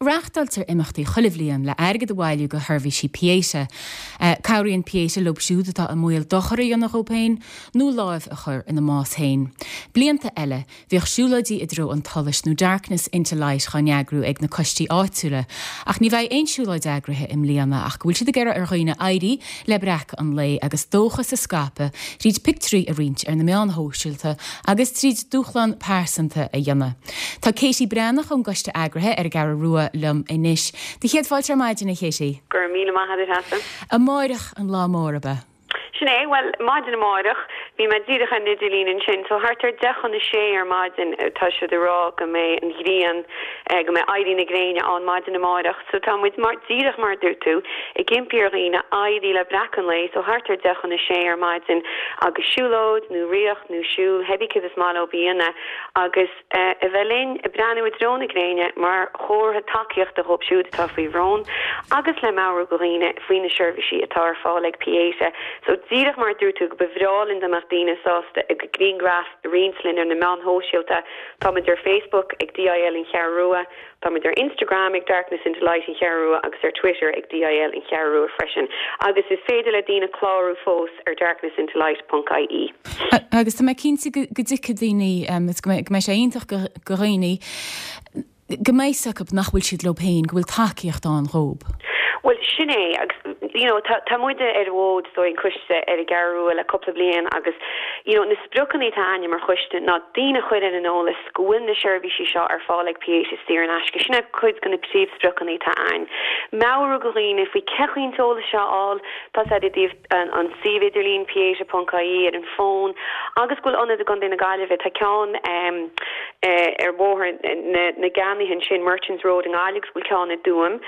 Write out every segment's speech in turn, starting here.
Reáchtáiltear imeachtaí chuile bhliain le airgead a bhailiú go sheirbhísí Pieta. Cabhraíonn Pieta leo siúd atá i mbaol dochar a dhéanamh dhóibh féin nó láimh a chur ina mbás féin. Blianta eile, bhíodh siúlóidí i dtreo an tsolais nó Darkness into Light dhá n-eagrú ag na coistí áitiúla ach ní bheidh aon siúlóid eagraithe i mbliana ach go bhfuil siad ag iarraidh ar dhaoine éirí le breacadh an lae agus dóchas a scaipeadh tríd pictiúirí a roinnt ar na meáin shóisialta agus tríd dúshlán pearsanta a dhéanamh. Tá Katie Breathnach ón gcoiste eagraithe ar an gCeathrú Rua liom anois. Do chéad fáilte ar maidin, a Katie. Go raibh míle maith agat, Treasa. Amáireach an lá mór, ab ea? Sin é. Bhuel, maidin amáireach, bhí mé díreach ar an idirlíon ansin, so thart ar deich chun a sé ar maidin tá siad ag rá go mbeidh an ghrian, go mbeidh éirí na gréine ann maidin amáireach. So tá muid mar, díreach mar a dúirt tú, ag impí ar dhaoine éirí le breacadh an lae, so thart ar deich chun a sé ar maidin agus siúlóid nó riocht nó siúl, cibé céard is maith leo a dhéanamh agus a bheith linn ag breathnú i dtreo na gréine mar chomhartha tacaíochta dhóibh siúd atá faoi bhrón agus le meabhrú go dhaoine faoi na seirbhísí atá ar fáil ag Pieta. So díreach mar a dúirt tú go ba bhreá linn dá mbeadh daoine sásta a gcuid grianghraf a roinnt linn ar na meáin shóisialta. Táimid ar Facebook ag DIL An Cheathrú Rua. Táimid ar Instagram ag Darkness Into Light An Cheathrú Rua agus ar Twitter ag DIL An Cheathrú Rua freisin. Agus is féidir le daoine clárú fós ar darknessintolight ponc ie. Agus tá mé cinnte go dtuigfidh daoine, agus go mbeidh sé iontach do dhaoine, go mbeidh fhios acu nach bhfuil siad leo féin, go bhfuil tacaíocht ann dhóib. Bhuel, sin é. Agus, you know, tá, tá muide ar an bhfód, is dóigh, an coiste ar an gCeathrú Rua le cúpla bliain agus, you know, na spriocanna atá a'inne mar choiste ná daoine a chur ar an eolas go bhfuil na seirbhísí seo ar fáil ag Pieta saor in aisce. Sin é cuid de na príomhspriocanna atá a'ainn. Meabhrú go dhaoine faoi cén chaoi an t-eolas seo a fháil, tá a fhios a'd i dtaobh an suíomh idirlín pieta.ie ar an bhfón agus go bhfuil ionad i gContae na Gaillimhe, tá ceann ar Bhóthar na gCeannaithe ansin, Merchants Road i nGaillimh agus go bhfuil ceann i dTuaim.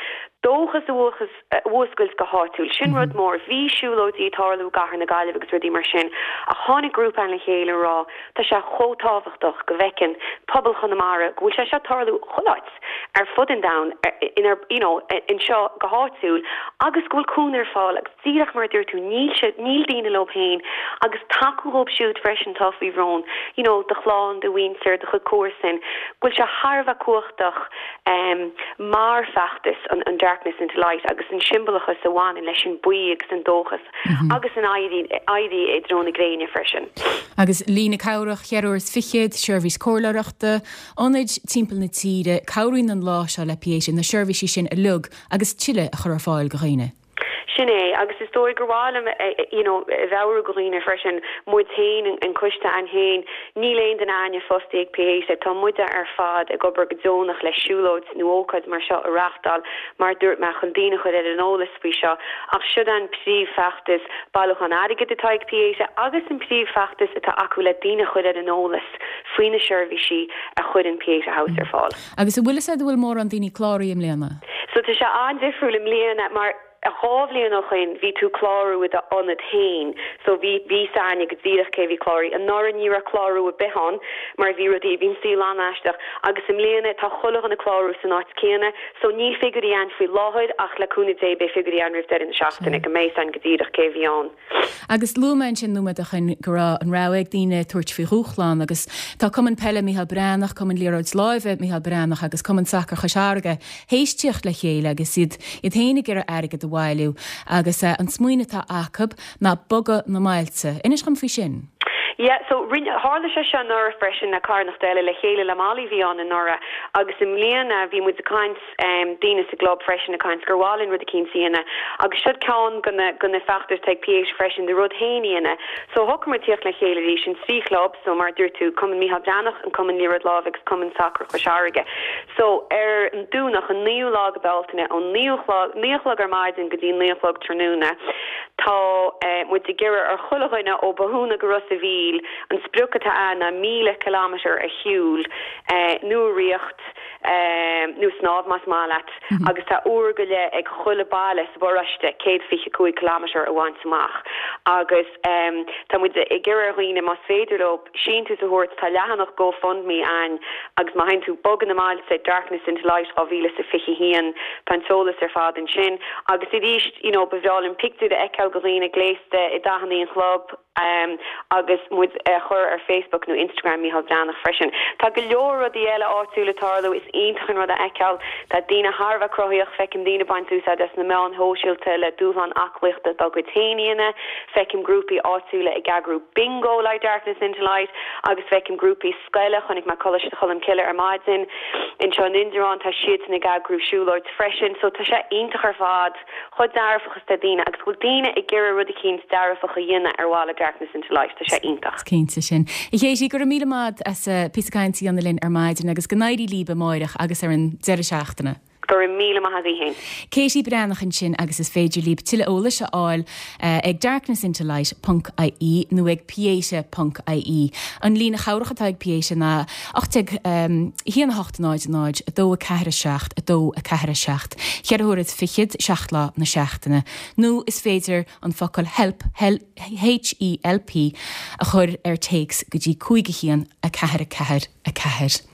Dóchas a a mhúscailt go háitiúil. Sin rud mór. Bhí siúlóidí ag tarlú i gcathair na Gaillimhe agus rudaí mar sin ach tháinig grúpa againn le chéile a rá tá sé chomh tábhachtach go bhfeiceann pobal Chonamara go bhfuil sé seo ag tarlú chuile áit ar fud an domhain inar you know anseo go háitiúil agus go bhfuil cúnamh ar fáil agus díreach mar a dúirt tú níl siad níl daoine leo féin agus tacú dhóibh siúd freisin atá faoi bhrón you know do chlann, do mhuintir, do chuid comharsan go bhfuil sé thar a bheith cumhachtach mar feachtas an Darkness into Light agus an siombalachas a bhaineann leis an buí agus an dóchas agus an éirí i dtreo na gréine freisin. Agus líne cabhrach cheithre uair is fichead, seirbhís comhairleoireachta, ionaid timpeall na tíre, cabhraíonn an lá seo le Pieta na seirbhísí sin uilig agus tuilleadh a chur ar fáil go dhaoine. Sin é, agus is dóigh gur mhaith liom you know a mheabhrú go dhaoine freisin, muid féin, an coiste a'ainn féin, níl aon duine a'ainne fostaithe ag Pieta, tá muide ar fad ag obair go deonach le siúlóid nó ócáid mar seo a reáchtáil, mar a dúirt mé, chun daoine a chur ar an eolas faoi seo. Ach siod an príomhfheachtas bailiúchán airgid atá ag Pieta agus an príomhfheachtas atá acu le daoine a chur ar an eolas faoi na seirbhísí a chuireann Pieta House ar fáil. Agus an bhfuil fhios a'd an bhfuil mórán daoine cláraithe i mbliana? So tá sé an-difriúil i mbliana mar 2 bhliain ó shoin bhí tú clárú i d'ionad féin so bhí bhí fhios a'ainne go díreach cé bhí cláraithe. Anuraidh ní raibh clárú ar bith ann mar bhí rudaí bhí an saol an-aisteach agus i mbliana tá chuile dhuine clárú san áit céanna so níl figiúirí a'ainn faoi láthair ach le cúnamh Dé beidh figiúirí a'ainn roimh deireadh na seachtaine go mbeidh fhios a'ainn go díreach cé bhí ann. Agus luaigh mé ansin nóiméad ó shin go raibh an rogha ag daoine tabhairt faoi dhúshlán agus tá Cumann Peile Micheál Breathnach, Cumann Liathróid Láimhe Micheál Breathnach agus Cumann Sacair Chois Fharraige théis tíocht le chéile agus iad iad féin ag iarraidh airgead a bhailiú agus an smaoineamh atá acu ná bogadh na mbailte. Inis dhom faoi sin. Yeah, so rinne, tharla sé seo anuraidh freisin le carthanacht eile, le chéile le Molly a bhí ann anuraidh agus i mbliana bhí muid ag caint, daoine sa gclub freisin ag caint gur mhaith linn rud eicínt a dhéanamh agus siod ceann de na de na feachtais atá ag Pieta freisin do rud féin a dhéanamh. So shocraigh muid tíocht le chéile arís, an trí chlub, so mar a dúirt tú, Cumann Micheál Breathnach, an Cumann Liathróid Láimhe agus Cumann Sacair Chois Fharraige. So ar an Domhnach an 9ú lá de Bealtaine ón 9 chlog, 9 a chlog ar maidin go dtí 9 a chlog tráthnóna tá muid ag iarraidh ar chuile dhuine ó Bothúna go Ros a' Mhíl, an sprioc atá ann ná 1,000 kilometre a shiúl nó a riocht, nó snámh más maith leat, agus tá uair go leith ag chuile baile sa bparóiste 125 kilometre a bhaint amach. Agus tá muid ag iarraidh ar dhaoine más féidir leo síntiús a thabhairt, tá leathanach GoFundMe a'ainn agus má théann tú Bogadh na mBailte, Darkness into Light 2021, tá an t-eolas ar fad ansin. Agus arís, you know, ba bhreá linn pictiúir a fheiceáil de dhaoine gléasta i dathanna an chlub, agus muid a chur ar Facebook nó Instagram Micheál Breathnach freisin. Tá go leor rudaí eile áitiúla ag tarlú. Is. iontach an rud a fheiceáil. Tá daoine thar a bheith cruthaíoch, feicim daoine ag baint úsáid as na meáin shóisialta le dúshlán aclaíochta dá gcuid féin a dhéanamh, feicim grúpaí áitiúla ag eagrú bingo le Darkness Into Light agus feicim grúpaí scoile, chonaic mé Coláiste Cholm Cille ar maidin anseo in Indreabhán, tá siadsan ag eagrú siúlóid freisin so tá sé iontach ar fad. chomh dearfach is atá daoine agus go bhfuil daoine ag iarraidh rud eicínt dearfach a dhéanamh ar mhaithe le Darkness into Light. Tá sé iontach. Is cinnte sin. A Katie, go raibh míle maith as píosa cainte a dhéanamh linn ar maidin agus go n-éirí líb amáireach agus ar an deireadh seachtaine. Go raibh míle maith agaibh féin. Katie Breathnach ansin agus is féidir líb tuilleadh eolais a fháil ag darknessintolight ponc ie nó ag pieta ponc ie. An líne chabhrach atá ag Pieta ná 18 1 8 0 0 2 4 7 2 4 7, cheithre huaire is fichead, seacht lá na seachtaine. Nó is féidir an focal help, H-E-L-P, a chur ar téacs go dtí 5 1 4 4 4.